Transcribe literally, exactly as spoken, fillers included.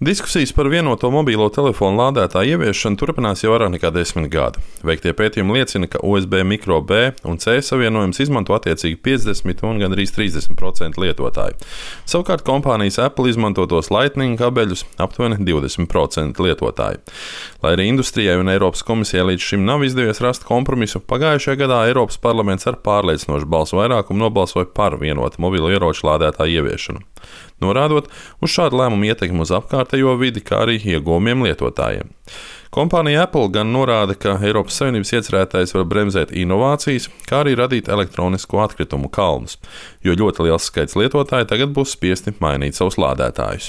Diskusijas par vienoto mobilo telefonu lādētāju ieviešanu turpinās jau vairāk nekā desmit gadi. Veiktie pētījumi liecina, ka U S B mikro B un C savienojums izmanto attiecīgi piecdesmit un gandrīz trīsdesmit procenti lietotāju. Savukārt kompānijas Apple izmantotos Lightning kabeļus aptuveni divdesmit procenti lietotāju. Lai arī industrijai un Eiropas komisijai līdz šim nav izdevies rast kompromisu, pagājušajā gadā Eiropas parlaments ar pārliecinošu balsu vairākumu nobalsoja par vienotu mobilo ieroču lādētāju ieviešanu, norādot uz šādu lēmumu ietekmi uz apkārtējo vidi, kā arī ieguvumiem lietotājiem. Kompānija Apple gan norāda, ka Eiropas Savienības iecerētais var bremzēt inovācijas, kā arī radīt elektronisko atkritumu kalnus, jo ļoti liels skaits lietotāju tagad būs spiesti mainīt savus lādētājus.